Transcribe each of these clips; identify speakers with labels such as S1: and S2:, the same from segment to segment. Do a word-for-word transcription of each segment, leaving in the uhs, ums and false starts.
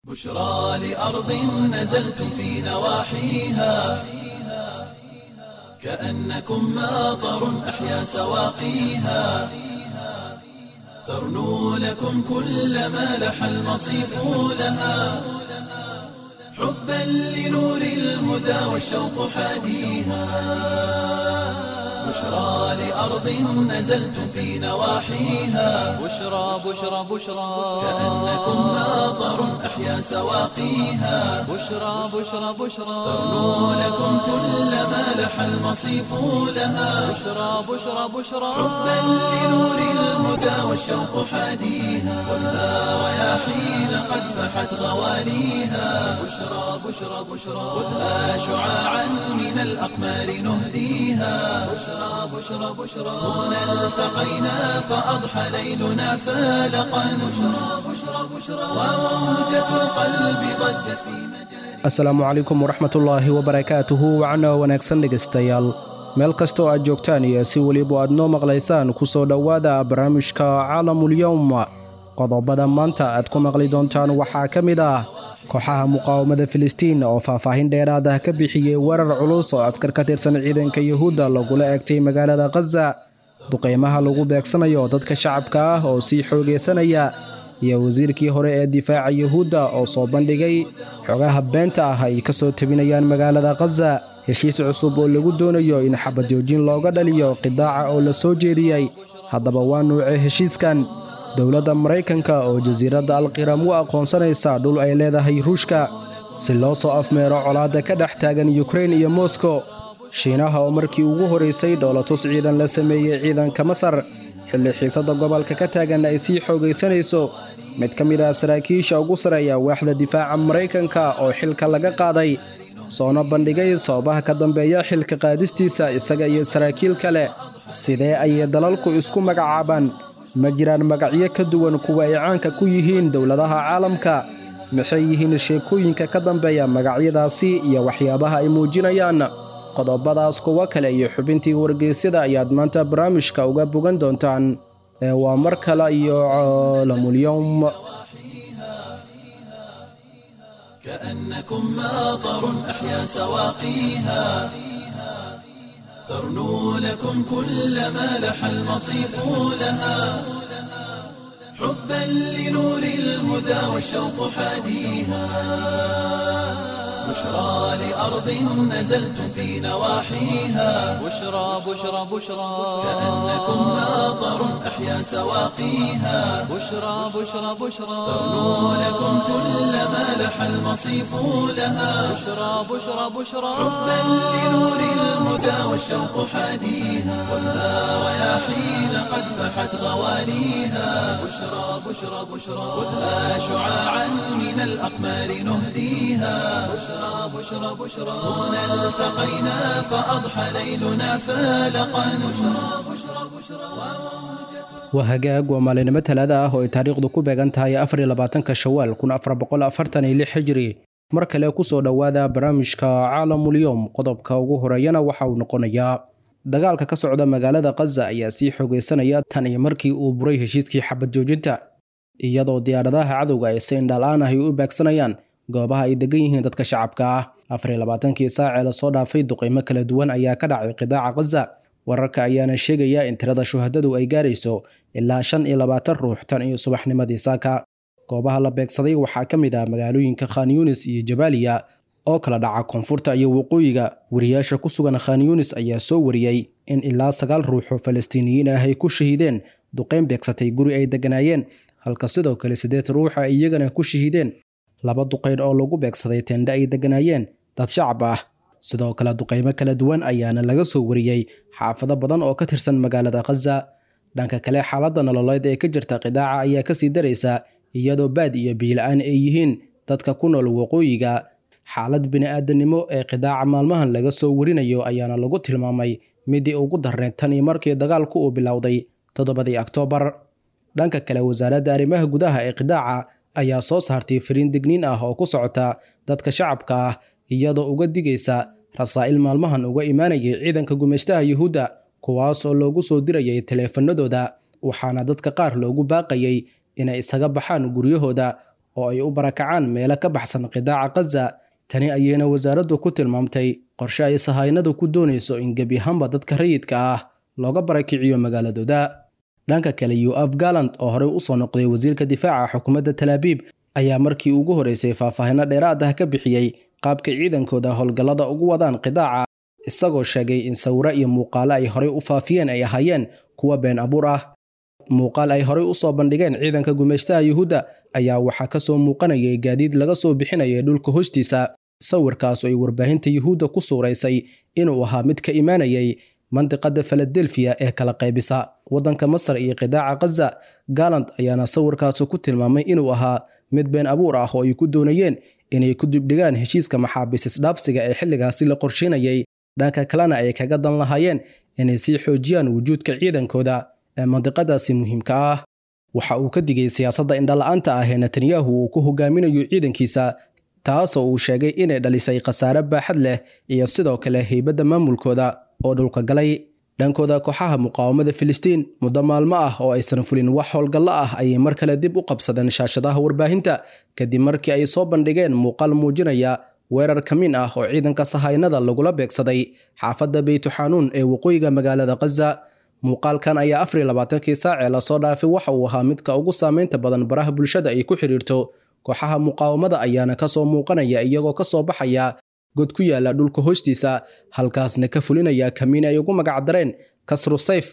S1: بشرى لأرض نزلتم في نواحيها كأنكم ماطر أحيا سواقيها ترنو لكم كل ما لح المصيف لها حبا لنور الهدى والشوق حاديها بشرى لأرض نزلتم في نواحيها
S2: بشرى بشرى بشرى
S1: كأنكم ماطر أحيا سواقيها
S2: بشرى بشرى بشرى
S1: ترنو لكم كل ما لح المصيف لها
S2: بشرى بشرى بشرى
S1: حبا لنور الهدى والشوق حاديها خذها رياحين قد فحت غواليها بشرى بشرى بشرى خذها شعاعا من الأقمار نهديها بشرى بشرى بشرى هنا التقينا فأضحى ليلنا فالقا بشرى بشرى بشرى وموجة القلب ضجت في مجاري
S3: Asalaamu calaykum waraxmatullaahi wabarakaatuhu wacno wanaagsan dhegaystayaal meel kastoo aad joogtaan iyo si weliba aad noo maqlaysaan ku soo dhowaada barnaamijka Caalamulyowm. Qodobada maanta aad ku maqli doontaan waxaa ka mid ah kooxaha muqaawamada Filistiin oo faahfaahin dheeraad ah ka bixiyey weerar culus oo askar ka tirsan ciidanka Yuhuudda lagula eegtay magaalada Gaza, duqeymaha lagu beegsanayo dadka shacabka ah oo sii xoogeysanaya, iyo wasiirkii hore ee difaaca Yuhuudda oo soo bandhigay xogaha beenta ah ay ka soo tabinayaan magaalada Gaza, heshiis cusub oo lagu doonayo in xabad joojin looga dhaliyo qidaaca oo la soo jeediyey. Haddaba waa nuucee heshiiskan? Dowladda Maraykanka oo jasiiradda Alqiram u aqoonsanaysa dhul ay leedahay Ruushka si loo soo afmeero colaadda ka dhex taagan Ukraine iyo Moscow, Shiinaha oo markii ugu horeysay dhoolatus ciidan la sameeyey ciidanka Masar xilli xiisadda gobolka ka taagan ay sii xoogaysanayso, mid ka mid ah saraakiisha ugu sareeya waaxda difaaca Maraykanka oo xilka laga qaaday soona bandhigay sababaha ka dambeeya xilka qaadistiisa isaga iyo saraakiil kale. Sidee ayay dalalku isku magacaabaan? Ma jiraan magacyo ka duwan kuwa ay caanka ku yihiin dowladaha caalamka? Maxay yihiin sheekooyinka ka dambeeya magacyadaasi iyo waxyaabaha ay muujinayaan? Qodobadaas, kuwo kale iyo xubintii wargeysyada ayaad maanta barnaamijka uga bogan doontaan. Ee waa mar kale iyo Caalamulyowm.
S1: كأنكم ماطر أحيا سواقيها ترنو لكم كل ما لح المصيف لها حبا لنور الهدى والشوق حاديها بشرى لأرض نزلتم في نواحيها
S2: بشرى بشرى بشرى
S1: كأنكم ماطر أحيا سواقيها
S2: بشرى بشرى بشرى
S1: ترنو لكم كل ما لح المصيف لها
S2: بشرى بشرى بشرى
S1: حبا لنور الهدى والشوق حاديها خذها رياحين قد فحت غواليها بشرى بشرى بشرى خذها شعاعا من الأقمار نهديها بشرى بشرى بشرى هنا التقينا فأضحى ليلنا فالقا بشرى بشرى بشرى
S3: Waa hagaag, waa maalinimo Talaada ah oo ay taariikhdu ku beegan tahay afar iyo labaatanka Shawaal kun afar boqol afartan iyo lix Hijri. Mar kale kusoo dhowaada barnaamijka Caalamulyowm. Qodobka ugu horeeyana waxa uu noqonayaa dagaalka ka socda magaalada Gaza ayaa sii xoogeysanaya tan iyo markii uu buray heshiiskii xabad joojinta, iyadoo diyaaradaha cadowga ay si indhalaan ah ay u beegsanayaan goobaha ay degan yihiin dadka shacabka ah. Afar iyo labaatankii saac ee lasoo dhaafay duqeymo kala duwan ayaa ka dhacay qidaaca Gaza. Wararka ayaana sheegaya in tirada shuhadadu ay gaarayso ilaa shan iyo labaatan ruux tan iyo subaxnimadii saaka. Goobaha la beegsaday waxaa ka mid ah magaalooyinka Khan Yunis iyo Jabaaliya oo kala dhaca koonfurta iyo waqooyiga. Wariyaasha ku sugan Khan Yunis ayaa soo wariyey in ilaa sagaal ruux oo Falastiiniyiin ah ay ku shahiideen duqeyn beegsatay guri ay deganaayeen, halka sidoo kale siddeed ruux ay iyagana ku shahiideen laba duqeyn oo lagu beegsaday teendhe ay deganaayeen dad shacab ah. Sidoo kale duqeymo kala duwan ayaana laga soo wariyey xaafado badan oo ka tirsan magaalada Gaza. Dhanka kale, xaaladda nololeed ee ka jirta qidaaca ayaa kasii daraysa, iyadoo baad iyo biyo la'aan ay yihiin dadka ku nool waqooyiga. Xaalad bini'aadanimo ee qidaaca maalmahan laga soo warinayo ayaana lagu tilmaamay midii ugu darneyd tan iyo markii dagaalku uu bilowday toddobadii Oktoobar. Dhanka kale, wasaaradda arrimaha gudaha ee qidaaca ayaa soo saartay fariin digniin ah oo ku socota dadka shacabka ah, iyadoo uga digaysa rasaa'il maalmahan uga imaanayay ciidanka gumeystaha Yuhuudda, kuwaas oo loogu soo dirayay taleefanadooda, waxaana dadka qaar loogu baaqayay inay isaga baxaan guryahooda oo ay u barakacaan meelo ka baxsan qidaaca Gaza. Tani ayayna wasaaraddu ku tilmaamtay qorshe ay sahaynadu ku doonayso in gebi ahaanba dadka rayidka ah looga barakiciyo magaaladooda. Dhanka kale, Yoav Gallant oo horey u soo noqday wasiirka difaaca xukuumadda Tel Aviv ayaa markii ugu horeysay faahfaahinno dheeraad ah ka bixiyey qaabka ciidankooda howlgallada ugu wadaan qidaaca, isagoo sheegay in sawiro iyo muuqaalo ay horey u faafiyeen ay ahaayeen kuwa been abuur ah. Muuqaal ay horey u soo bandhigeen ciidanka gumeystaha Yuhuudda ayaa waxaa ka soo muuqanayay gaadiid laga soo bixinayay dhulka hoostiisa, sawirkaas oo ay warbaahinta Yuhuudda ku suuraysay inuu ahaa mid ka imaanayay mandiqada Philadelphia ee kala qaybisa waddanka Masar iyo qidaaca Gaza. Gallant ayaana sawirkaas ku tilmaamay inuu ahaa mid been abuur ah oo ay ku doonayeen inay ku dibdhigaan heshiiska maxaabiis isdhaafsiga ee xilligaasi la qorsheynayay, dhanka kalena ay kaga dan lahaayeen inay sii xoojiyaan wujuudka ciidankooda ee mandiqadaasi muhiimka ah. Waxa uu ka digay siyaasadda indhala'aanta ah ee Netanyahu uu ku hogaaminayo ciidankiisa, taasoo uu sheegay inay dhalisay khasaare baaxad leh iyo sidoo kale heybadda maamulkooda oo dhulka galay. Dhankooda, kooxaha muqaawamada Filistiin muddo maalmo ah oo aysan fulin wax howlgallo ah ayay mar kale dib u qabsadeen shaashadaha warbaahinta kadib markii ay soo bandhigeen muuqaal muujinaya weerar kamiin ah oo ciidanka sahaynada lagula beegsaday xaafadda Beytuxanuun ee waqooyiga magaalada Gaza. Muuqaalkan ayaa afar iyo labaatankii saac ee lasoo dhaafay waxa uu ahaa midka ugu saameynta badan baraha bulshada ay ku xiriirto. Kooxaha muqaawamada ayaana kasoo muuqanaya iyagoo kasoo baxaya god ku yaala dhulka hoostiisa, halkaasna ka fulinaya kamiin ay ugu magacdareen Kasru Sayf.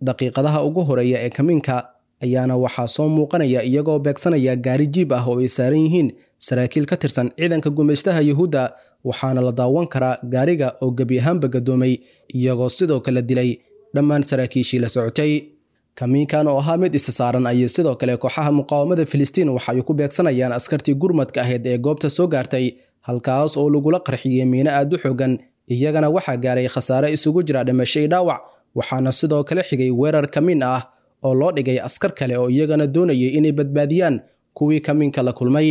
S3: Daqiiqadaha ugu horeeya ee kamiinka ayaana waxaa soo muuqanaya iyagoo beegsanaya gaari jiib ah oo ay saaran yihiin saraakiil ka tirsan ciidanka gumeystaha Yuhuudda, waxaana la daawan karaa gaariga oo gebi ahaanba gadoomay, iyagoo sidoo kale dilay dhammaan saraakiishii la socotay. Kamiinkan oo ahaa mid isa saaran ayay sidoo kale kooxaha muqaawamada Filistiin waxa ay ku beegsanayaan askartii gurmadka ahayd ee goobta soo gaartay, halkaas oo lagula qarxiyey miino aad u xoogan. Iyagana waxaa gaaray khasaare isugu jira dhimasho iyo dhaawac, waxaana sidoo kale xigay weerar kamiin ah oo loo dhigay askar kale oo iyagana doonayay inay badbaadiyaan kuwii kamiinka la kulmay.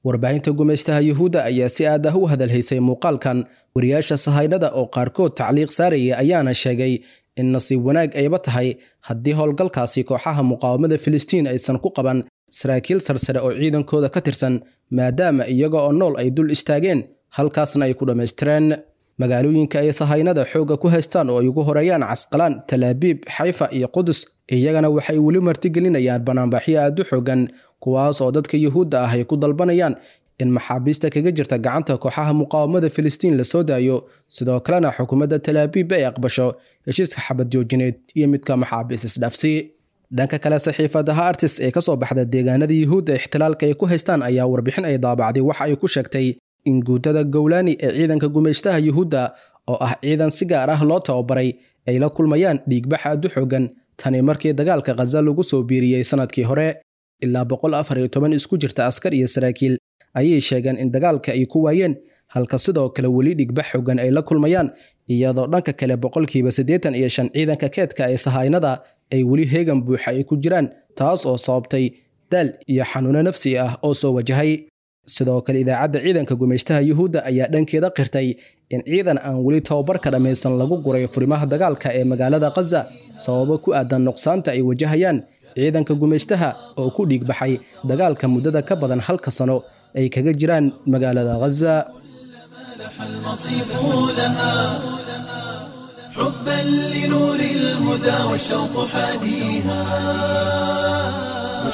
S3: Warbaahinta gumeystaha Yuhuudda ayaa si aad ah u hadalhaysay muuqaalkan. Wariyaasha sahaynada oo qaarkood tacliiq saaraya ayaana sheegay in nasiib wanaag ayba tahay haddii howlgalkaasi kooxaha muqaawamada Filistiin aysan ku qaban saraakiil sarsare oo ciidankooda ka tirsan, maadaama iyaga oo nool ay dul istaageen halkaasna ay ku dhammaystireen. Magaalooyinka ay sahaynada xoogga ku haystaan oo ay ugu horeeyaan Casqalaan, Tel Aviv, Xayfa iyo Qudus, iyagana waxay weli martigelinayaan banaanbaxyo aad u xoogan, kuwaas oo dadka Yuhuudda ah ay ku dalbanayaan in maxaabiista kaga jirta gacanta kooxaha muqaawamada Filistiin la soo daayo, sidoo kalena xukuumadda Tel Aviv ay aqbasho heshiiska xabad joojineed iyo midka maxaabiis isdhaafsi. Dhanka kale, saxiifada Haaretz ee ka soo baxda deegaanada Yuhuudda ixtilaalka ay ku haystaan ayaa warbixin ay daabacday waxa ay ku sheegtay in guutada Gowlani ee ciidanka gumeystaha Yuhuudda oo ah ciidan si gaar ah loo tababaray ay la kulmayaan dhiigbax aad u xoogan tani markii dagaalka Gaza lagu soo biiriyey sanadkii hore. Ilaa boqol afar iyo toban isku jirta askar iyo saraakiil ayay sheegeen in dagaalka ay ku waayeen, halka sidoo kale weli dhigbax xoogan ay la kulmayaan, iyadoo dhanka kale boqolkiiba siddeetan iyo shan ciidanka keedka ee sahaynada ay weli heegan buuxa ay ku jiraan, taas oo sababtay daal iyo xanuuno nafsi ah oo soo wajahay. Sidoo kale, idaacadda ciidanka gumeystaha Yuhuudda ayaa dhankeeda qirtay in ciidan aan weli tababarka dhammaysan lagu guray furimaha dagaalka ee magaalada Gaza sababo ku aadan nuqsaanta ay wajahayaan ciidanka gumeystaha oo ku dhiig baxay dagaalka muddada ka badan halka sano ay kaga jiraan magaalada Gaza.
S1: المصيف لها حبا لنور الهدى والشوق حاديها.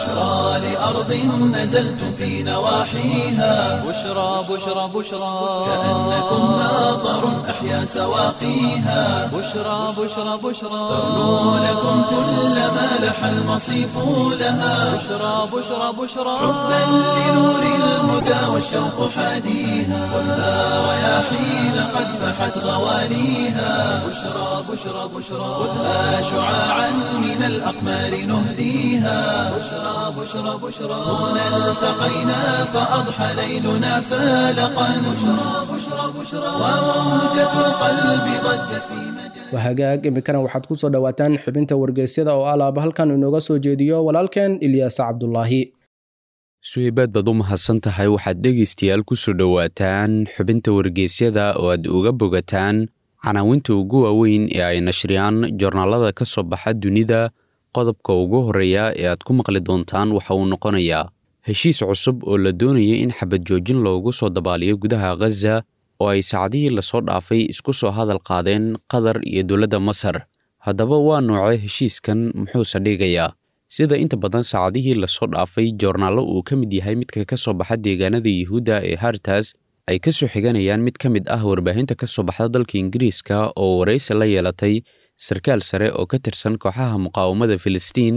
S1: بشرى لأرض نزلتم في نواحيها
S2: بشرى بشرى بشرى
S1: كأنكم ماطر أحيا سواقيها
S2: بشرى بشرى بشرى
S1: ترنو لكم كل ما لح المصيف لها
S2: بشرى بشرى بشرى
S1: حبا لنور الهدى والشوق حاديها خذها رياحين قد فحت غواليها
S2: بشرى بشرى بشرى
S1: خذها شعاعا من الأقمار نهديها
S2: بشرى بشرى بشرى
S1: هنا التقينا فأضحى ليلنا فالقا
S2: بشرى بشرى بشرى
S1: وموجة القلب ضجت في مجال
S3: Wahagaag, iminkana waxaad ku soo dhowaataan xubinta wargeysyada oo alaaba halkan inooga soo jeediyo walaalkeen Ilyaas Cabdulaahi.
S4: Suhaybaad baad u mahadsan tahay. Waxaad dhegaystayaal ku soo dhowaataan xubinta wargeysyada oo aad uga bogataan canaawinta ugu waaweyn ee ay nashriyaan joornaalada ka soo baxa dunida. Qodobka ugu horreeya ee aad ku maqli doontaan waxa uu noqonayaa heshiis cusub oo la doonaya in xabad joojin loogu soo dabaaliyo gudaha Ghaza oo ay saacadihii lasoo dhaafay isku soo hadal qaadeen Qatar iyo dowladda Masar. Haddaba waa noocee heshiiskan, muxuuse dhigayaa? Sida inta badan saacadihii lasoo dhaafay joornaallo uu ka mid yahay midka ka soo baxa deegaanada Yuhuudda ee Hartas ay ka soo xiganayaan mid ka mid ah warbaahinta ka soo baxda dalka Ingiriiska oo waraysi la yeelatay sarkaal sare oo ka tirsan kooxaha muqaawamada Filistiin.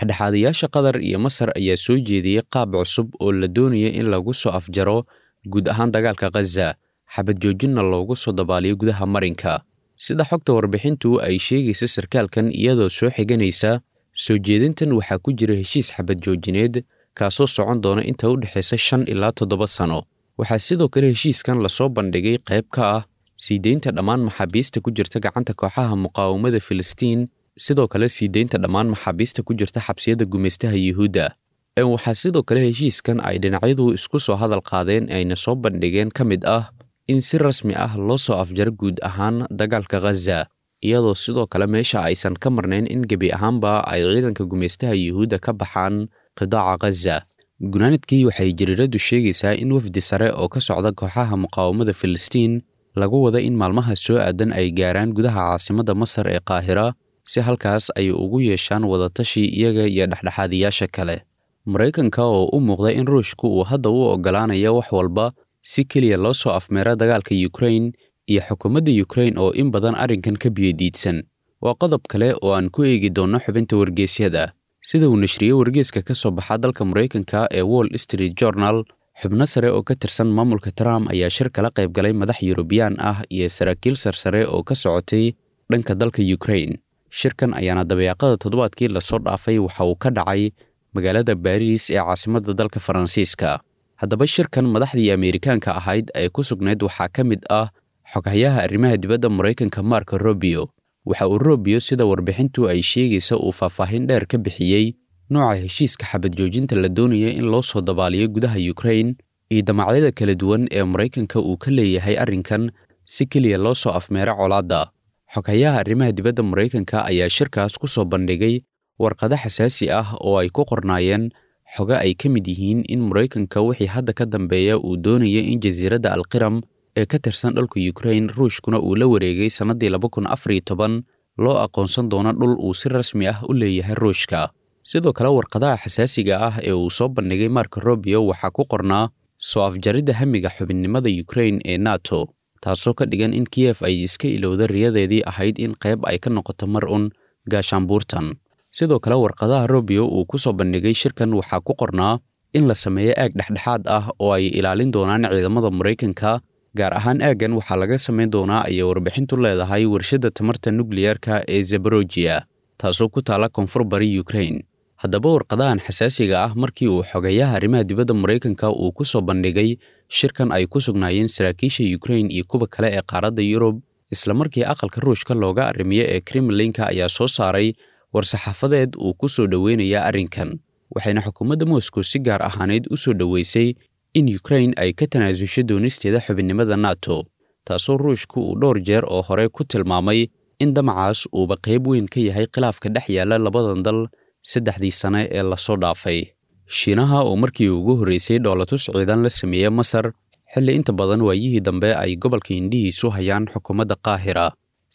S4: Dhexdhexaadayaasha Qatar iyo Masar ayaa soo jeediyey qaab cusub oo la doonaya in lagu soo afjaro guud ahaan dagaalka Ghaza, xabad joojinna loogu soo dabaaliyo gudaha marinka. Sida xogta warbixintu ay sheegaysa sarkaalkan iyadoo soo xiganaysa, soo jeedintan waxaa ku jira heshiis xabad joojineed kaasoo socon doona inta u dhexaysa shan ilaa toddoba sano. Waxaa sidoo kale heshiiskan lasoo bandhigay qayb ka ah sii deynta dhammaan maxaabiista ku jirta gacanta kooxaha muqaawamada Filistiin, sidoo kale sii deynta dhammaan maxaabiista ku jirta xabsiyada gumaystaha Yuhuudda. Waxaa sidoo kale heshiiskan ay dhinacyadu isku soo hadal qaadeen ayna soo bandhigeen ka mid ah in si rasmi ah loo soo afjaro guud ahaan dagaalka Ghaza, iyadoo sidoo kale meesha aysan ka marnayn in gebi ahaanba ay ciidanka gumaystaha Yuhuudda ka baxaan qidaaca Ghaza. Gunaanadkii waxay jariiradu sheegaysaa in wafdi sare oo ka socda kooxaha muqaawamada Filistiin lagu wada in maalmaha soo aadan ay gaaraan gudaha caasimadda Masar ee Qaahira si halkaas ay ugu yeeshaan wadatashi iyaga iyo dhexdhexaadiyaasha kale. Maraykanka oo u muuqda in Ruushku uu hadda u oggolaanayo wax walba si keliya loo soo afmeera dagaalka Ukraine iyo xukuumadda Ukraine oo in badan arrinkan ka biyodiidsan, waa qodob kale oo aan ku eegi doonno xubinta wargeysyada. Sida uu nashriyey wargeyska ka soo baxa dalka Maraykanka ee Wall Street Journal, xubno sare oo ka tirsan maamulka Trump ayaa shir kala qayb galay madax Yurubyaan ah iyo saraakiil sarsare oo ka socotay dhanka dalka Ukraine. Shirkan ayaana dabeeqada toddobaadkii lasoo dhaafay waxa uu ka dhacay magaalada Baariis ee caasimadda dalka Faransiiska. Haddaba shirkan madaxdii Ameerikaanka ahayd ee ku sugnayd waxaa ka mid ah xoghayaha arrimaha dibadda Maraykanka Marco Rubio. Waxa uu Rubio sida warbixintu ay sheegaysa uu faahfaahin dheer ka bixiyey nooca heshiiska xabad joojinta la doonaya in loo soo dabaaliyo gudaha Ukraine iyo damacyada kala duwan ee Maraykanka uu ka leeyahay arrinkan si keliya loo soo afmeero colaadda. Xoghayaha arrimaha dibadda Maraykanka ayaa shirkaas ku soo bandhigay warqado xasaasi ah oo ay ku qornaayeen xogo ay ka mid yihiin in Maraykanka wixii hadda ka dambeeya uu doonaya in jasiiradda Alqiram ee ka tirsan dhulka Ukraine Ruushkuna uu la wareegay sannaddii laba kun afar iyo toban loo aqoonsan doono dhul uu si rasmi ah u leeyahay Ruushka. Sidoo kale warqadaha xasaasiga ah ee uu soo bandhigay Marco Rubio waxaa ku qornaa soo afjaridda hamiga xubinnimada Ukraine ee NATO, taasoo ka dhigan in Kiev ay iska ilowda riyadeedii ahayd in qayb ay ka noqoto mar un gaashaanbuurtan. Sidoo kale warqadaha Rubio uu ku soo bandhigay shirkan waxaa ku qornaa in la sameeyo aag dhexdhexaad ah oo ay ilaalin doonaan ciidamada Maraykanka, gaar ahaan aaggan waxaa laga samayn doonaa ayay warbixintu leedahay warshadda tamarta nukliyeerka ee Zaporozhye, taasoo ku taala koonfur bari Ukraine. Haddaba warqadahan xasaasiga ah markii uu xogayaha arrimaha dibadda Maraykanka uu ku soo bandhigay shirkan ay ku sugnaayeen saraakiisha Ukraine iyo kuwa kale ee qaaradda Yurub, isla markii aqalka Ruushka looga arrimiyo ee Kremlinka ayaa soo saaray war-saxaafadeed uu ku soo dhoweynaya arrinkan, waxayna xukuumadda Moscow si gaar ahaaneyd u soo dhoweysay in Ukraine ay ka tanaasusho doonisteeda xubinnimada NATO, taasoo Ruushku uu dhowr jeer oo hore ku tilmaamay in damacaas uuba qayb weyn ka yahay khilaafka dhex yaalla labadan dal saddexdii sane ee lasoo dhaafay. Shiinaha oo markii ugu horreysay dhoolatus ciidan la sameeyey Masar, xilli inta badan waayihii dambe ay gobolka indhihiisu hayaan xukuumadda Qaahira.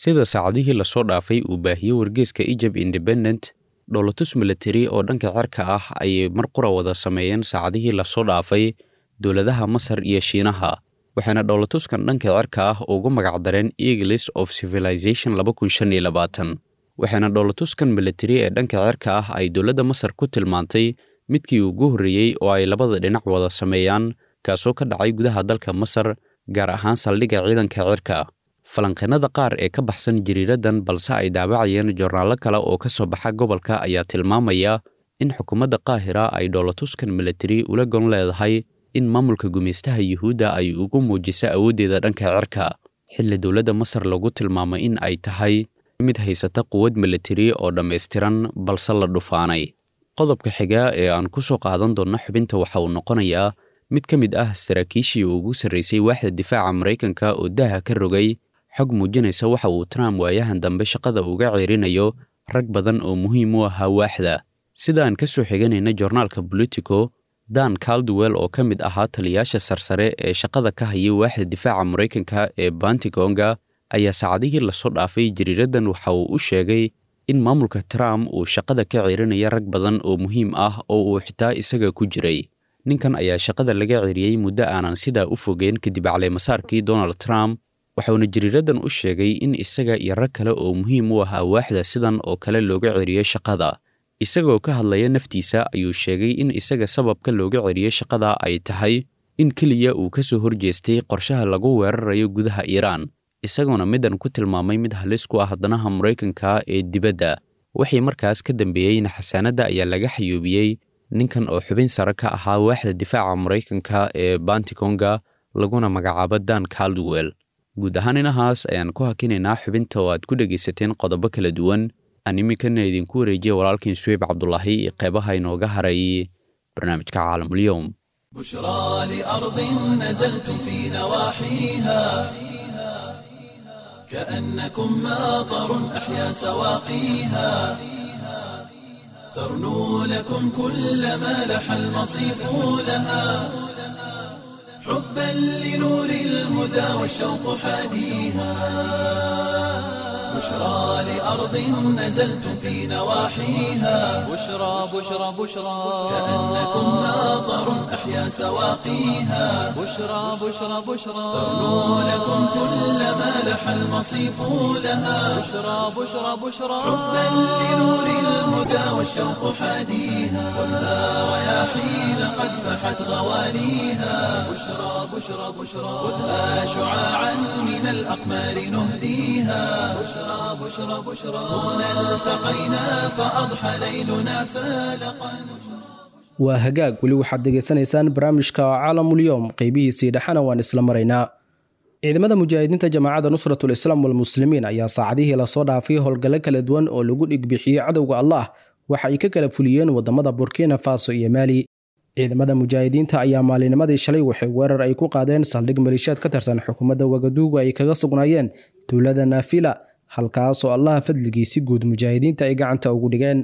S4: Sida saacadihii lasoo dhaafay uu baahiyey wargeyska Egypt Independent, Dhoolatus milatari oo dhanka cirka ah ayay mar qura wada sameeyeen saacadihii lasoo dhaafay dowladaha Masar iyo Shiinaha, waxaana dhoolatuskan dhanka cirka ah ugu magacdareen Eagles of Civilization laba kun shan iyo labaatan. Waxaana dhoolatuskan milatari ee dhanka cirka ah ay dowladda Masar ku tilmaantay midkii ugu horreeyey oo ay labada dhinac wada sameeyaan, kaasoo ka dhacay gudaha dalka Masar, gaar ahaan saldhigga ciidanka cirka. Falanqeennada qaar ee ka baxsan jariiradan balse ay daabacayeen joornaallo kale oo ka soo baxa gobolka ayaa tilmaamaya in xukuumadda Qaahira ay dhoolatuskan milatari ula gon leedahay in maamulka gumaystaha Yuhuudda ay ugu muujiso awooddeeda dhanka cirka, xilli dowladda Masar lagu tilmaamay in ay tahay mid haysata quwad milatari oo dhammaystiran balse la dhufaanay. Qodobka xiga ee aan ku soo qaadan doonno xubinta waxa uu noqonayaa mid ka mid ah saraakiishii ugu sarraysay waaxda difaaca Maraykanka oo daaha ka rogay xog muujinaysa waxa uu Trump waayahan dambe shaqada uga ceerinayo rag badan oo muhiim u ahaa waaxda. Sida aan ka soo xiganayna joornaalka Politico, Dan Caldwell oo ka mid ahaa taliyaasha sarsare ee shaqada ka hayay waaxda difaaca Maraykanka ee Pentagon-ga ayaa saacadihii lasoo dhaafay jariiradan waxa uu u sheegay in maamulka Trump uu shaqada ka ceerinaya rag badan oo muhiim ah oo uu xitaa isaga ku jiray. Ninkan ayaa shaqada laga ceeriyey muddo aanan sidaa u fogeyn kadib caleemasaarkii Donald Trump, waxauna jariiradan u sheegay in isaga iyo rag kale oo muhiim u ahaa waaxda sidan oo kale looga ceeriyey shaqada. Isagoo ka hadlaya naftiisa ayuu sheegay in isaga sababka looga ceeriyey shaqada ay tahay in keliya uu ka soo horjeestay qorshaha lagu weerarayo gudaha Iiraan, isagoona middan ku tilmaamay mid halis ku ah danaha Maraykanka ee dibadda. Wixii markaas ka dambeeyeyna xasaanadda ayaa laga xayuubiyey ninkan oo xubin sare ka ahaa waaxda difaaca Maraykanka ee Pentagon-ga laguna magacaabo Dan Caldwell. Guud ahaan inahaas ayaan ku hakinaynaa xubinta oo aad ku dhegaysateen qodobo kala duwan. Aan iminkana idinku wareejiya walaalkiin Suweyb Cabdulaahi iyo qeybaha inooga haray barnaamijka Caalamulyoom.
S1: بشرى لأرض نزلتم في نواحيها كأنكم ماطر أحيا سواقيها، ترنو لكم كل ما لح المصيف لها، حبا لنور الهدى والشوق حاديها، بشرى لأرض نزلتم في نواحيها،
S2: بشرى بشرى بشرى
S1: كأنكم ماطر أحيا سواقيها،
S2: بشرى بشرى بشرى
S1: ترنو لكم كل ما لح المصيف لها،
S2: بشرى بشرى بشرى
S1: حبا لنور الهدى والشوق حاديها، خذها رياحين قد فحت غوانيها،
S2: بشرى بشرى بشرى
S1: خذها شعاعا من الأقمار نهديها،
S2: بشرى بشرى بشرى
S1: هنا التقينا فأضحى ليلنا فالقا.
S3: Waa hagaag, weli waxaad dhegaysanaysaan barnaamijka Caalamulyoom, qeybihiisii dhexana waan isla maraynaa. Ciidamada mujaahidiinta Jamaacadda Nusratul Islaam walmuslimiin ayaa saacadihii lasoo dhaafay howlgallo kala duwan oo lagu dhigbixiyey cadowga Allah waxa ay ka kala fuliyeen wadamada Burkina Faso iyo Maali. Ciidamada mujaahidiinta ayaa maalinimadii shalay waxay weerar ay ku qaadeen saldhig maleeshiyaad ka tirsan xukuumadda Wagaduugu ay kaga sugnaayeen tuulada Naafila, halkaasoo Allaha fadligiisi guud mujaahidiinta ay gacanta ugu dhigeen.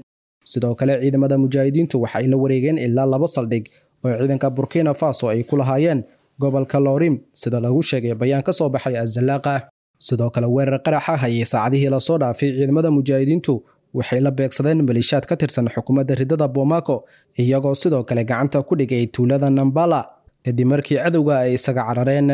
S3: Sidoo kale ciidamada mujaahidiintu waxa ay la wareegeen ilaa laba saldhig oo ciidanka Burkina Faso ay ku lahaayeen gobolka Loorim, sida lagu sheegay bayaan ka soo baxay Azalaaqa. Sidoo kale weerar qarax ah ayay saacadihii lasoo dhaafay ciidamada mujaahidiintu waxay la beegsadeen maleeshiyaad ka tirsan xukuumadda ridada Bomaako, iyagoo sidoo kale gacanta ku dhigay tuulada Nambala kadib markii cadowga ay isaga carareen.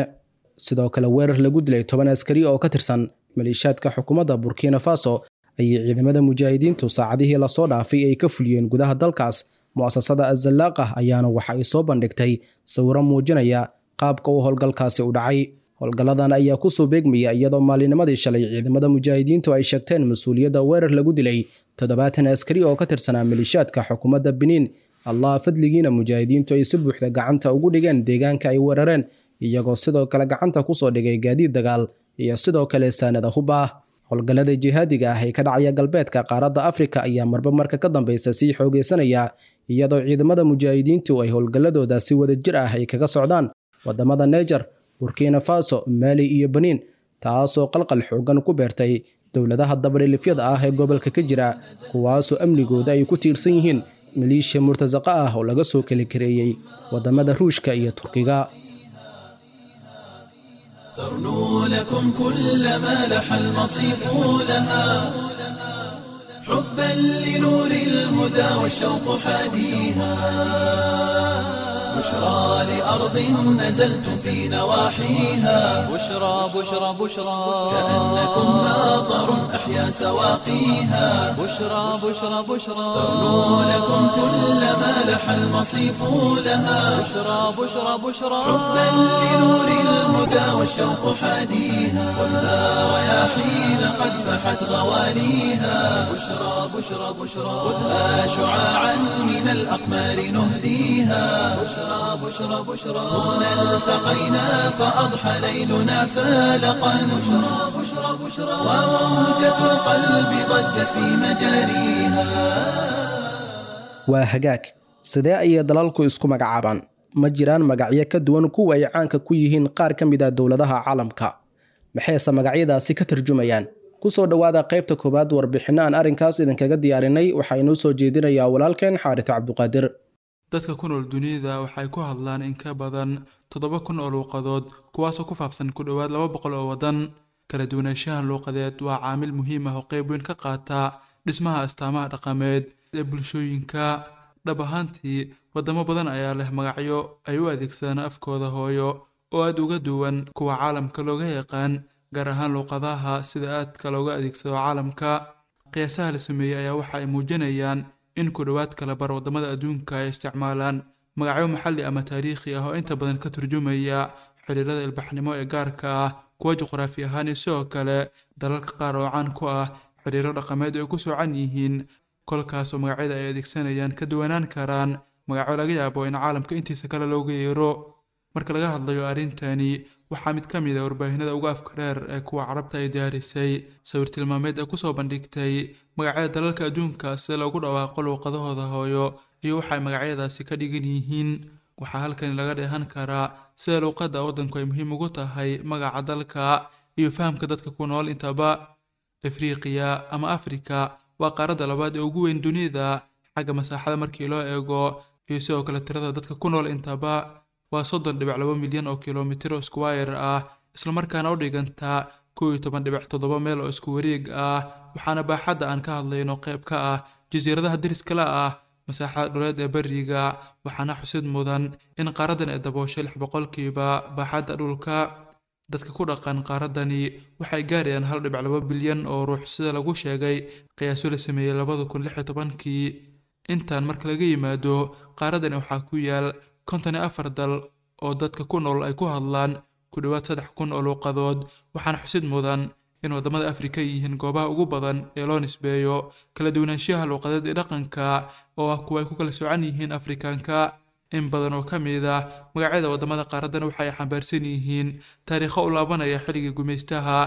S3: Sidoo kale weerar lagu dilay toban askari oo ka tirsan maleeshiyaadka xukuumadda Burkina Faso ayay ciidamada mujaahidiintu saacadihii lasoo dhaafay ay ka fuliyeen gudaha dalkaas. Mu'asasada Azalaaqa ayaana waxa ay soo bandhigtay sawiro muujinaya qaabka uu howlgalkaasi u dhacay. Howlgalladan ayaa kusoo beegmaya iyadoo maalinimadii shalay ciidamada mujaahidiintu ay sheegteen mas-uuliyadda weerar lagu dilay toddobaatan askari oo ka tirsanaa maleeshiyaadka xukuumadda Benin. Allah fadligiina mujaahidiintu ay si buuxda gacanta ugu dhigeen deegaanka ay weerareen, iyagoo sidoo kale gacanta kusoo dhigay gaadiid dagaal iyo sidoo kale saanada hub ah. Howlgallada jihaadiga ah ee ka dhacaya galbeedka qaaradda Afrika ayaa marba marka ka dambeysa sii xoogeysanaya, iyadoo ciidamada mujaahidiintu ay howlgalladooda si wadajir ah ay kaga socdaan wadamada Niger, Burkina Faso, Mali iyo Benin, taasoo qalqal xoogan ku beertay dowladaha dabadhilifyada ah ee gobolka ka jira, kuwaasoo amnigooda ay ku tiirsan yihiin maleeshiya murtasaqa ah oo laga soo kala kareeyey wadamada Ruushka iyo Turkiga.
S1: ترنو لكم كل ما لح المصيف لها، حبا لنور الهدى والشوق حاديها بشرى لأرض نزلت في نواحيها
S2: بشرى بشرى بشرى
S1: كأنكم ماطر أحيا سواقيها
S2: بشرى بشرى بشرى
S1: ترنو لكم كل ما لح المصيف لها
S2: بشرى بشرى بشرى
S1: حبا لنور الهدى والشوق حاديها خذها رياحين قد فحت غوانيها بشرى بشرى بشرى خذها شعاعا من الأقمار نهديها بشرى بشرى بشرى هنا التقينا فأضحى ليلنا فالقا بشرى بشرى بشرى وموجة القلب ضجت في مجاريها.
S3: Waa hagaag, sidee ayay dalalku isku magacaabaan? Ma jiraan magacyo ka duwan kuwa ay caanka ku yihiin qaar ka mid ah dowladaha caalamka? Maxayse magacyadaasi ka tarjumayaan? Kusoo dhowaada qaybta koowaad warbixinno aan arrinkaas idinkaga diyaarinay. Waxaa inoo soo jeedinayaa walaalkeen Xaaris Cabduqaadir.
S5: Dadka ku nool dunida waxay ku hadlaan in ka badan toddoba kun oo luuqadood, kuwaasoo ku faafsan ku dhowaad laba boqol oo waddan. Kala duwanaanshahan luuqadeed waa caamil muhiim ah oo qayb weyn ka qaata dhismaha astaamaha dhaqameed ee bulshooyinka. Dhab ahaantii, waddamo badan ayaa leh magacyo ay u adeegsadaan afkooda hooyo oo aad uga duwan kuwa caalamka looga yaqaan, gaar ahaan luuqadaha sida aadka looga adeegsado caalamka. Qiyaasaha la sameeyey ayaa waxa ay muujinayaan in ku dhowaad kala bar waddamada adduunka ay isticmaalaan magacyo maxalli ama taariikhi ah oo inta badan ka turjumaya xiriirada ilbaxnimo ee gaarka ah, kuwa juqraafi ahaan iyo sidoo kale dalalka qaar oo caan ku ah xiriiro dhaqameed ay ku soocan yihiin, kolkaasoo magacyada ay adeegsanayaan ka duwanaan karaan magacyo laga yaabo in caalamka intiisa kale looga yeero. Marka laga hadlayo arrintani, waxaa mid ka mid ah warbaahinada ugu afka dheer ee kuwa Carabta ay diyaarisay sawir tilmaameed ay kusoo bandhigtay magacyada dalalka adduunka sida loogu dhawaaqo luuqadahooda hooyo iyo waxa ay magacyadaasi ka dhigan yihiin. Waxaa halkani laga dheehan karaa sida luuqadda waddanku ay muhiim ugu tahay magaca dalka iyo fahamka dadka ku nool intaba. Afriqiya ama Afrika waa qaaradda labaad ee ugu weyn dunida xagga masaaxada markii loo eego iyo sidoo kale tirada dadka ku nool intaba. Waa soddon dhibic laba milyan oo kilomitir oo square ah, islamarkaana u dhiganta kow iyo toban dhibic toddoba meel oo isku wareeg ah, waxaana baaxadda aan ka hadlayno qayb ka ah jasiiradaha deriska la ah masaaxada dhuleed ee beriga. Waxaana xusid mudan in qaaraddan ay dabooshay lix boqolkiiba baaxadda dhulka. Dadka ku dhaqan qaaraddani waxay gaarayaan hal dhibic laba bilyan oo ruux sida lagu sheegay qiyaaso la sameeyey labada kun lix iyo tobankii. Intaan marka laga yimaado, qaaraddani waxaa ku yaal konton iyo afar dal oo dadka ku nool ay ku hadlaan ku dhowaad saddex kun oo luuqadood. Waxaana xusid mudan in waddamada Afrika yihiin goobaha ugu badan ee loo nisbeeyo kala duwanaanshaha luuqadeed ee dhaqanka, oo ah kuwa ay ku kala soocan yihiin Afrikaanka. In badan oo ka mid ah magacyada waddamada qaaraddan waxa ay xambaarsan yihiin taariikho u laabanaya xilligii gumaystaha,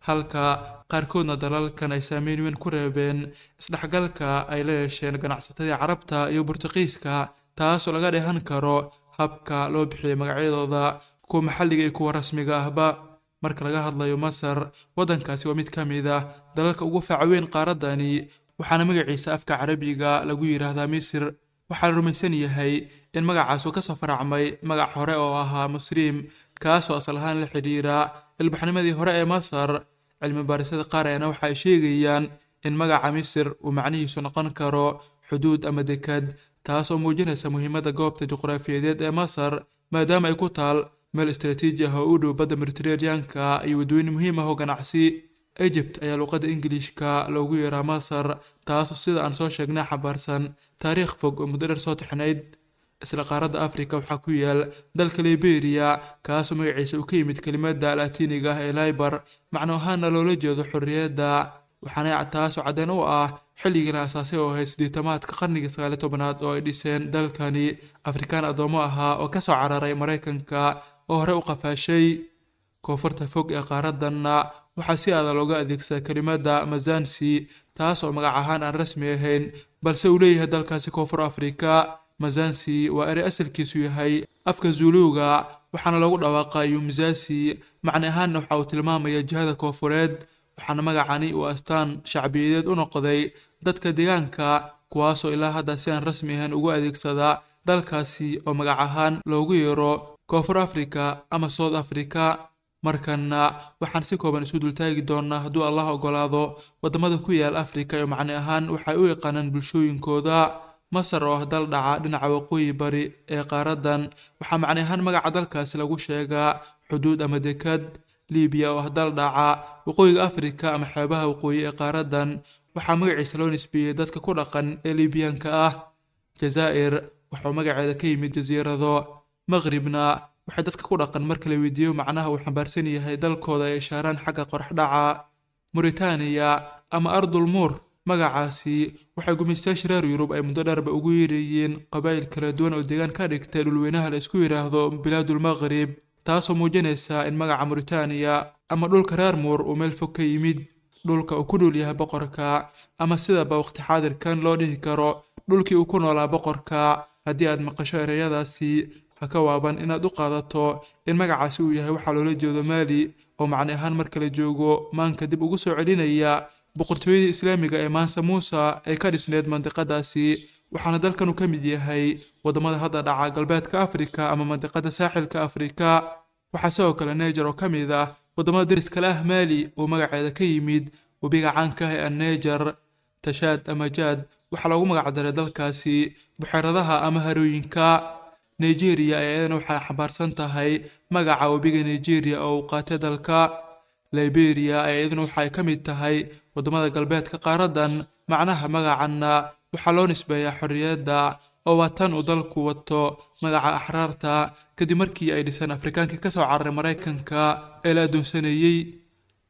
S5: halka qaarkoodna dalalkan ay saameyn weyn ku reebeen isdhexgalka ay la yeesheen ganacsatadii Carabta iyo Burtuqiiska, taasoo laga dheehan karo habka loo bixiyay magacyadooda, kuwa maxalliga iyo kuwa rasmiga ahba. Marka laga hadlayo Masar, waddankaasi waa mid ka mid ah dalalka ugu faca weyn qaaraddani, waxaana magaciisa afka Carabiga lagu yidhaahdaa Misr. Waxaa la rumaysan yahay in magacaas uu kasoo faracmay magac hore oo ahaa Musriim, kaasoo asal ahaan la xidhiira ilbaxnimadii hore ee Masar. Cilmi baarisyada qaar ayaana waxa ay sheegayaan in magaca Misr uu macnihiisu noqon karo xuduud ama dekad, taas oo muujinaysa muhiimadda goobta juqraafiyadeed ee Masar, maadaama ay ku taal meel istaraatiiji ah oo u dhow badda Mediterranean-ka iyo waddooyin muhiim ah oo ganacsi. Egypt ayaa luuqadda Ingiliishka loogu yeeraa Masar, taasoo sida aan soo sheegnay xambaarsan taariikh fog oo muddo dheer soo taxnayd. Isla qaaradda Afrika waxaa ku yaal dalka Liberia, kaasoo magaciisa uu ka yimid kelimadda Laatiiniga ah ee liber, macno ahaanna loola jeedo xorriyadda, waxaana taasoo caddeyn u ah xilligii la asaasay oo ahayd siddeetamaadka qarnigii sagaal iyo tobanaad oo ay dhiseen dalkani Afrikaan addoommo ahaa oo kasoo cararay Maraykanka oo hore u qafaashay. Koonfurta fog ee qaaraddanna waxaa si adag looga adeegsadaa kelimadda Mazansi, taas oo magac ahaan aan rasmi ahayn balse uu leeyahay dalkaasi Koonfur Afrika. Mazansi waa erey asalkiisu yahay afka Zuluuga, waxaana loogu dhawaaqaa Yumzasi, macne ahaanna waxa uu tilmaamaya jihada koonfureed. Waxaana magacani uu astaan shacbiyadeed u noqday dadka deegaanka, kuwaasoo ilaa hadda si aan rasmi ahayn ugu adeegsada dalkaasi oo magac ahaan loogu yeero Koonfur Afrika ama South Africa. Markana waxaan si kooban isu dultaagi doonaa hadduu Allah ogolaado wadamada ku yaal Afrika iyo macne ahaan waxay u yaqaanaan bulshooyinkooda. Masar oo ah dal dhaca dhinaca waqooyi bari ee qaaradan, waxaa macne ahaan magaca dalkaasi lagu sheegaa xuduud ama dekad. Liibiya oo ah dal dhaca waqooyiga Afrika ama xeebaha waqooyi ee qaaradan, waxaa magaciisa loo nisbeeyey dadka ku dhaqan ee Liibiyaanka ah. Jazaa'ir waxuu magaceeda ka yimid jasiirado. Maqribna waxay dadka ku dhaqan marka la weydiiyo macnaha uu xambaarsan yahay dalkooda ay ishaaraan xagga qorax dhaca. Mauritania ama Ardul Muur, magacaasi waxay gumaystayaasha reer Yurub ay muddo dheerba ugu yeerayeen qabaa'il kala duwan oo deegaan ka dhigtay dhulweynaha la isku yidhaahdo Bilaadul Maqrib, taasoo muujinaysa in magaca Mauritania ama dhulka reer Muur uu meel fog ka yimid, dhulka uu ku nool yahay boqorka, ama sidaba waqti xaadirkan loo dhihi karo dhulkii uu ku noolaa boqorka. Haddii aad maqasho ereyadaasi, ha ka waaban inaad u qaadato in magacaasi uu yahay waxaa loola jeedo Maali, oo macne ahaan marka la joogo maanka dib ugu soo celinaya boqortooyadii islaamiga ee Mansa Musa ay ka dhisneed mandiqadaasi. Waxaana dalkanu ka mid yahay wadamada hadda dhaca galbeedka Afrika ama mandiqada saaxilka Afrika. Waxaa sidoo kale Niger oo ka mid ah wadamada deriska la ah Maali oo magaceeda ka yimid webiga caanka ah ee Niger. Tashaad ama Jaad waxaa loogu magac daray dalkaasi buxeeradaha ama harooyinka. Nigeria ayaa iyadana waxay xambaarsan tahay magaca webiga Nigeria oo uu qaatay dalka. Liberia ayaa iyaduna waxay ka mid tahay wadamada galbeedka qaaradan. Macnaha magacanna waxaa loo nisbeeyaa xorriyadda, oo waa tan uu dalku wato magaca axraarta kadib markii ay dhiseen Afrikaankii ka soo cararay Maraykanka ee la adoonsanayey.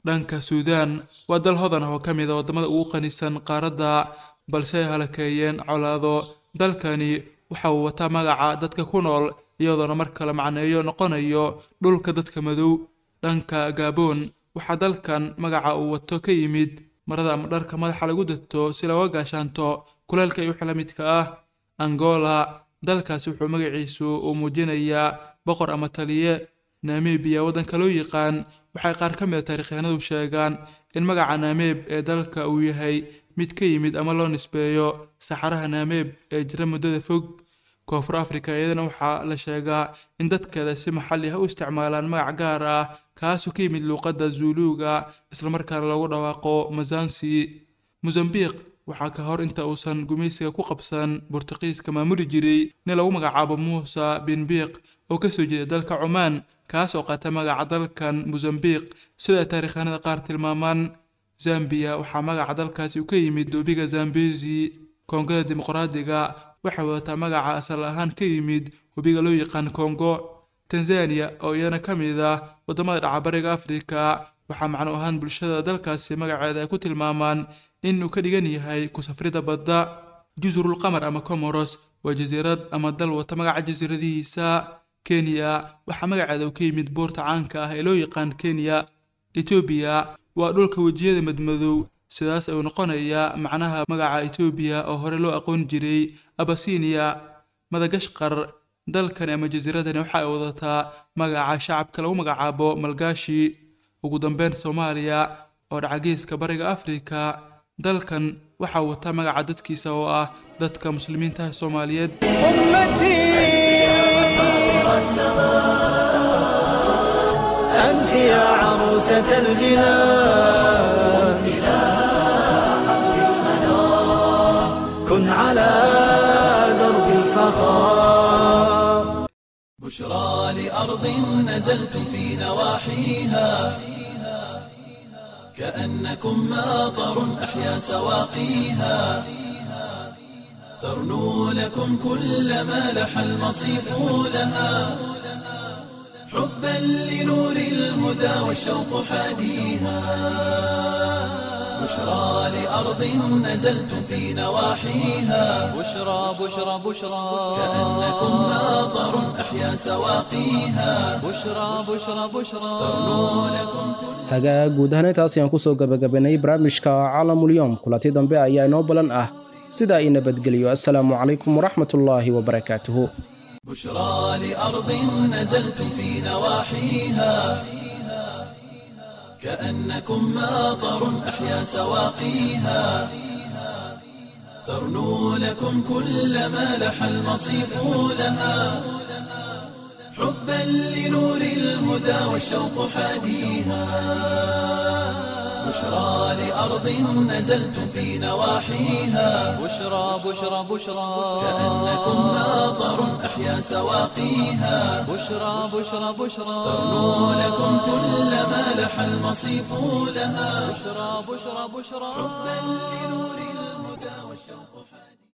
S5: Dhanka Suudaan waa dal hodan ah oo ka mid ah wadamada ugu qanisan qaaradda, balse ay halakeeyeen colaado. Dalkani waxa uu wataa magaca dadka ku nool, iyadoona mar kale macneeyo noqonayo dhulka dadka madow. Dhanka Gabon waxaa dalkan magaca uu wato ka yimid marada ama dharka madaxa lagu dato si looga gaashaanto kuleelka iyo wixii la midka ah. Angola dalkaasi wuxuu magaciisu uu muujinayaa boqor ama taliye. Namibia waddanka loo yaqaan waxay qaar ka mid ah taariikhyahanadu sheegaan in magaca Namib ee dalka uu yahay mid ka yimid ama loo nisbeeyo saxaraha Namib ee jira muddada fog. Koonfur Afrika iyadana waxaa la sheegaa in dadkeeda si maxalli ah u isticmaalaan magac gaar ah kaasoo ka yimid luuqadda Zuluuga, islamarkaana loogu dhawaaqo Mazansi. Mozambique waxaa ka hor inta uusan gumaysiga ku qabsan Boortaqiiska maamuli jiray nin lagu magacaabo Muusa bin Biiq oo ka soo jeeda dalka Cumaan, kaas oo qaata magaca dalkan Mozambique sida ay taariikhyahanada qaar tilmaamaan. Zambia waxaa magaca dalkaasi uu ka yimid webiga Zambezi. Koongada Dimuqraadiga waxay wadataa magaca asal ahaan ka yimid webiga loo yaqaan Kongo. Tanzania oo iyana ka mid ah wadamada dhaca bariga Afrika waxaa macno ahaan bulshada dalkaasi magaceeda ay ku tilmaamaan in uu ka dhigan yahay ku safrida badda. Jazirul Qamar ama Comoros waa jasiirad ama dal wata magaca jasiiradihiisa. Kenya waxaa magaceeda uu ka yimid buurta caanka ah ee loo yaqaan Kenya. Ethiopia waa dhulka wejiyada madmadow, sidaas ayuu noqonayaa macnaha magaca Ethiopia oo hore loo aqoon jiray Abyssinia. Madagashqar dalkani ama jasiiradani waxa ay wadataa magaca shacabka lagu magacaabo Malgashi. Ugu dambeyn Soomaaliya oo dhaca geeska bariga Afrika, dalkan waxaa wata magaca dadkiisa oo ah dadka muslimiinta ah Soomaaliyeed.
S1: أنت يا عروسة الجنان كن على درب الفخار. بشرى لأرض نزلتم في نواحيها كأنكم ماطر أحيا سواقيها، ترنو لكم كل ما لح المصيف لها حبا لنور الهدى والشوق حاديها. بشرى لأرض نزلتم في نواحيها
S2: بشرى بشرى بشرى
S1: كأنكم ماطر أحيا سواقيها
S2: بشرى بشرى بشرى
S1: ترنو لكم كل
S3: Hagaag, guud ahaan intaas ayaan kusoo gabagabaynay barnaamijka Caalamul-Yawm. Kulanti dambe ayaa inoo balan ah, sidaa i nabadgeliyo. Assalaamu calaykum waraxmatullaahi wabarakaatuhu.
S1: بشرى لأرض نزلتم في نواحيها كأنكم ماطر أحيا سواقيها، ترنو لكم كل ما لح المصيف لها. حبا لنور الهدى والشوق حاديها بشرى لأرض نزلتم في نواحيها
S2: بشرى بشرى بشرى
S1: كأنكم ناظر أحيا سواقيها
S2: بشرى بشرى بشرى
S1: ترنو لكم كل ما لح المصيف لها
S2: بشرى بشرى بشرى
S1: حبا لنور الهدى والشوق حاديها.